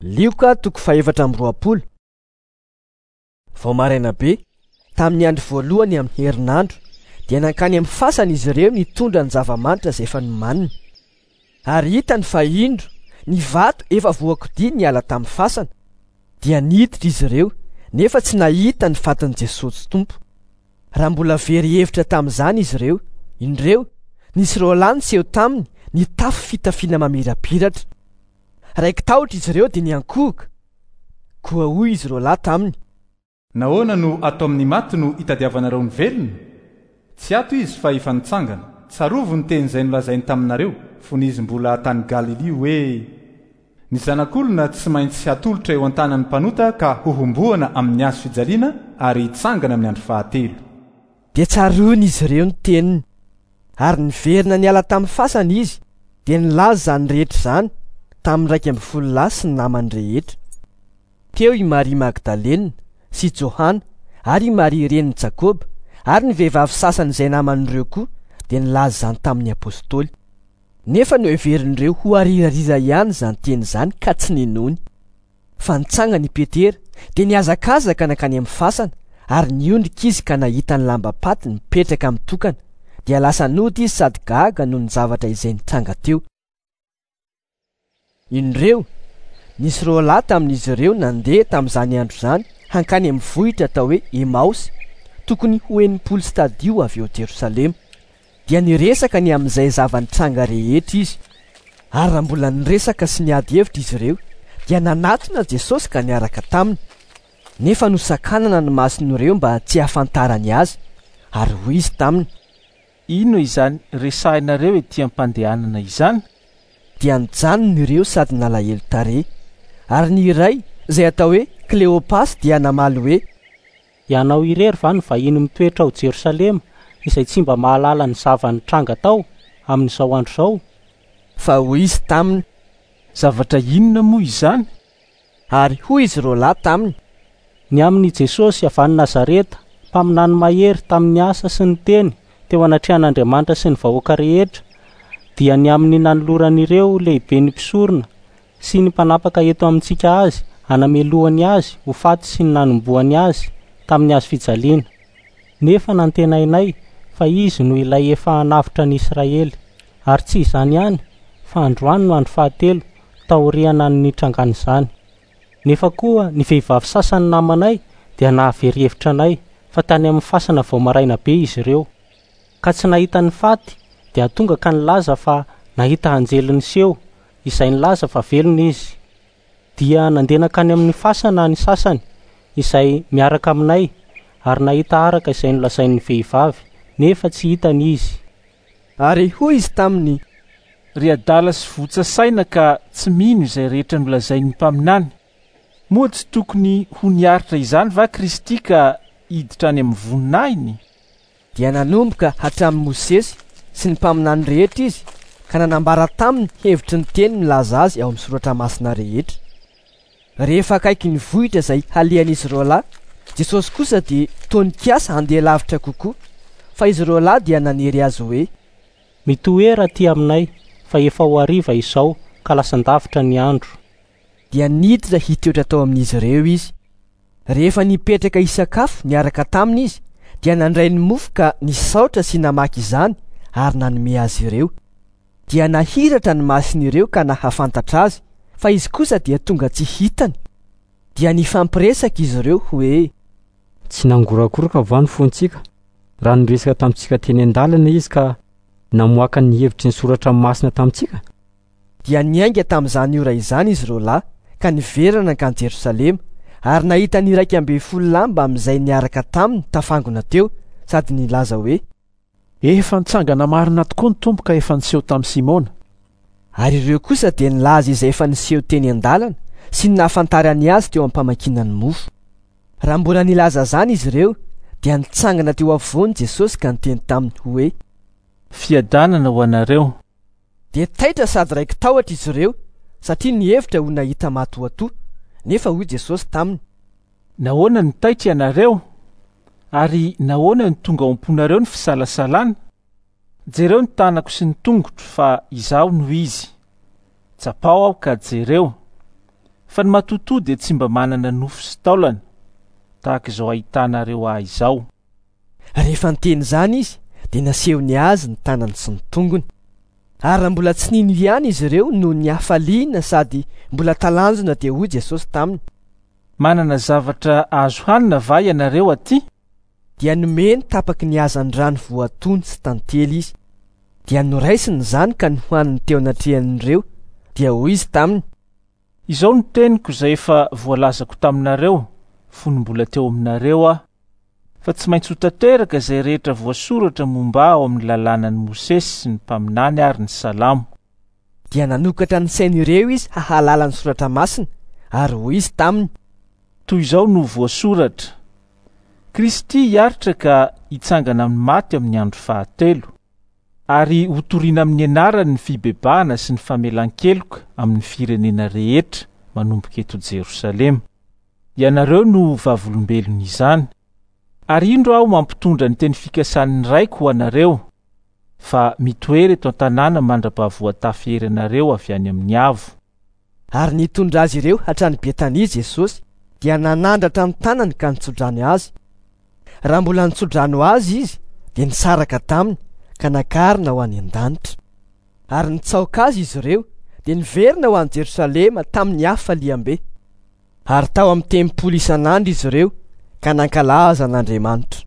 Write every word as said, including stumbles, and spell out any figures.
Lioka toko fahefatra amby roapolo. Vao maraina be, tamin'ny andro voalohany amin'ny herinandro, dia nankany amin'ny fasana izy ireo nitondra ny zava-manitra izay efa nomaniny. Ary hitany fa indro ny vato efa voakodia niala tamin'ny fasana. Dia niditra izy ireo, nefa tsy nahita ny fatin'i Jesosy Tompo. Raha mbola very hevitra tamin'izany izy ireo, indreo, nisy roa lahy niseho taminy nitafy fitafiana mamirapiratra. Raiki-tahotra izy ireo dia niankohoka. Koa hoy izy roa lahy taminy: Nahoana no ato amin'ny maty no itadiavanareo ny velona? Tsy ato izy fa efa nitsangana. Tsarovy ny teny izay nolazainy taminareo fony izy mbola tany Galilia hoe: Ny zanak'olona tsy maintsy hatolotra eo an-tanan'ny mpanota ka hohomboana amin'ny hazo fijaliana ary hitsangana amin'ny andro fahatelo. Dia tsaroany izy ireo ny teniny. Ary niverina niala tamin'ny fasana izy, dia nilaza izany rehetra izany tamin'ny iraika ambin'ny folo lahy sy ny namany rehetra. Teo i Maria Magdalena sy Johana ary i Maria renin'i Jakoba ary ny vehivavy sasany izay naman'ireo koa dia nilaza izany tamin'ny apôstôly. Nefa noheverin'ireo ho arirarira ihany izany teny izany ka tsy ninoany. Fa nitsangana i Petera dia nihazakazaka nankany amin'ny fasana ary niondrika izy ka nahita ny lamba-paty nipetraka mitokana, dia lasa nody izy sady gaga noho ny zavatra izay nitranga teo. Indreo, nisy roa lahy tamin'izy ireo nandeha tamin'izany andro izany hankany amin'ny vohitra atao hoe Emaosy, tokony ho enimpolo stadio avy eo Jerosalema. Dia niresaka ny amin'izay zava-nitranga rehetra izy. Ary raha mbola niresaka sy niady hevitra izy ireo, dia nanatona Jesosy ka niaraka taminy. Nefa nosakanana ny mason'ireo mba tsy hahafantarany azy. Ary hoy izy taminy: Inona izany resahinareo ety am-pandehanana izany? Dia nijanona ireo sady nalahelo tarehy. Ary ny iray izay atao hoe Kleopasy dia namaly hoe: Ianao irery va no vahiny mitoetra ao Jerosalema izay tsy mba mahalala ny zava-nitranga tao amin'izao andro izao? Fa hoy izy taminy: Zavatra inona moa izany? Ary hoy izy roa lahy taminy: Ny amin'i Jesosy avy any Nazareta, mpaminany mahery tamin'ny asa sy ny teny teo anatrehan'Andriamanitra sy ny vahoaka rehetra, dia ny amin'ny nanoloran'ireo lehiben'ny mpisorona sy ny mpanapaka eto amintsika azy hanamelohany azy ho faty sy ny nanomboany azy tamin'ny hazo fijaliana. Nefa nantenainay fa izy no ilay efa hanavotra ny Israely. Ary tsy izany ihany, fa androany no andro fahatelo taoriana ny nitrangan'izany. Nefa koa ny vehivavy sasany namanay dia nahavery hevitra anay fa tany amin'ny fasana vao maraina be izy ireo. Ka tsy nahita ny faty dia tonga ka nilaza fa nahita anjely niseho izay nilaza fa velona izy. Dia nandeha nankany amin'ny fasana ny sasany izay miaraka aminay ary nahita araka izay nolazain'ny vehivavy, nefa tsy hitany izy. Ary hoy izy taminy: Ry adala sy votsa saina ka tsy mino izay rehetra nolazain'ny mpaminany. Moa tsy tokony ho niaritra izany va Kristy ka hiditra any amin'ny voninahiny? Dia nanomboka hatramin'i Mosesy sy ny mpaminany rehetra izy ka nanambara taminy hevitry ny teny milaza azy ao amin'ny soratra masina rehetra. Rehefa akaiky ny vohitra izay halehan'izy roa lahy, Jesosy kosa dia toa nikasa handeha lavitra kokoa, fa izy roa lahy dia nanery azy hoe: Mitoera aty aminay fa efa ho hariva izao ka lasan-davitra ny andro. Dia niditra hitoetra tao amin'izy ireo izy. Rehefa nipetraka hisakafo niaraka taminy izy, dia nandray ny mofo ka nisaotra sy namaky izany ary nanome azy ireo. Dia nahiratra ny mason'ireo ka nahafantatra azy, fa izy kosa dia tonga tsy hitany. Dia nifampiresaka izy ireo hoe: Tsy nangorakoroka va ny fontsika raha niresaka tamintsika teny an-dalana izy ka namoaka ny hevitry ny soratra masina tamintsika? Dia niainga tamin'izany ora izany izy roa lahy ka niverina nankany Jerosalema ary nahita ny iraika ambin'ny folo lahy mbamin'izay niaraka taminy tafangona teo sady nilaza hoe: Efa nitsangana marina tokoa ny Tompo ka efa niseho tamin'i Simona. Ary ireo kosa dia nilaza izay efa niseho teny an-dalana sy ny nahafantarany azy teo am-pamakiana ny mofo. Raha mbola nilaza izany izy ireo, dia nitsangana teo afovoany Jesosy ka niteny taminy hoe: Fiadanana ho anareo. Dia taitra sady raiki-tahotra izy ireo satria nihevitra ho nahita matoatoa. Nefa hoy Jesosy taminy: Nahoana no taitra ianareo? Ary nahoana no tonga ao am-ponareo ny fisalasalana? Jereo ny tanako sy ny tongotro fa izaho no izy. Tsapao aho ka jereo. Fa ny matotoa dia tsy mba manana nofo sy taolana, tahaka izao ahitanareo ahy izao. Rehefa niteny izany izy, dia nasehony azy ny tanany sy ny tongony. Ary raha mbola tsy nino ihany izy ireo noho ny hafaliana sady mbola talanjona, dia hoy Jesosy taminy: Manana zavatra azo hanina va ianareo aty? Dia nomeny tapaky ny hazandrano voatono sy tantely izy. Dia noraisiny izany ka nohaniny teo anatrehan'ireo. Dia hoy izy taminy: Izao no teniko izay efa voalazako taminareo fony mbola teo aminareo aho, fa tsy maintsy ho tanteraka izay rehetra voasoratra momba ao amin'ny lalànan'i Mosesy sy ny mpaminany ary ny Salamo. Dia nanokatra ny sain'ireo izy hahalala ny soratra masina, ary hoy izy taminy: Toy izao no voasoratra: Kristy hiaritra ka hitsangana amin'ny maty amin'ny andro fahatelo, ary hotorina amin'ny anarany ny fibebahana sy ny famelan-keloka amin'ny firenena rehetra manomboka eto Jerosalema. Ianareo no vavolombelon'izany. Ary indro aho mampitondra ny teny fikasan'ny Raiko ho anareo, fa mitoera eto an-tanàna mandra-pahavoatafy hery anareo avy any amin'ny avo. Ary nitondra azy ireo hatrany Betania Jesosy, dia nanandratra ny tanany ka nitsodrano azy. Raha mbola nitsodrano azy izy, dia nisaraka taminy ka nakarina ho any an-danitra. Ary nitsaoka azy izy ireo, dia niverina ho any Jerosalema tamin'ny hafaliam-be. Ary tao amin'ny tempoly isan'andro izy ireo ka nankalaza an'Andriamanitra.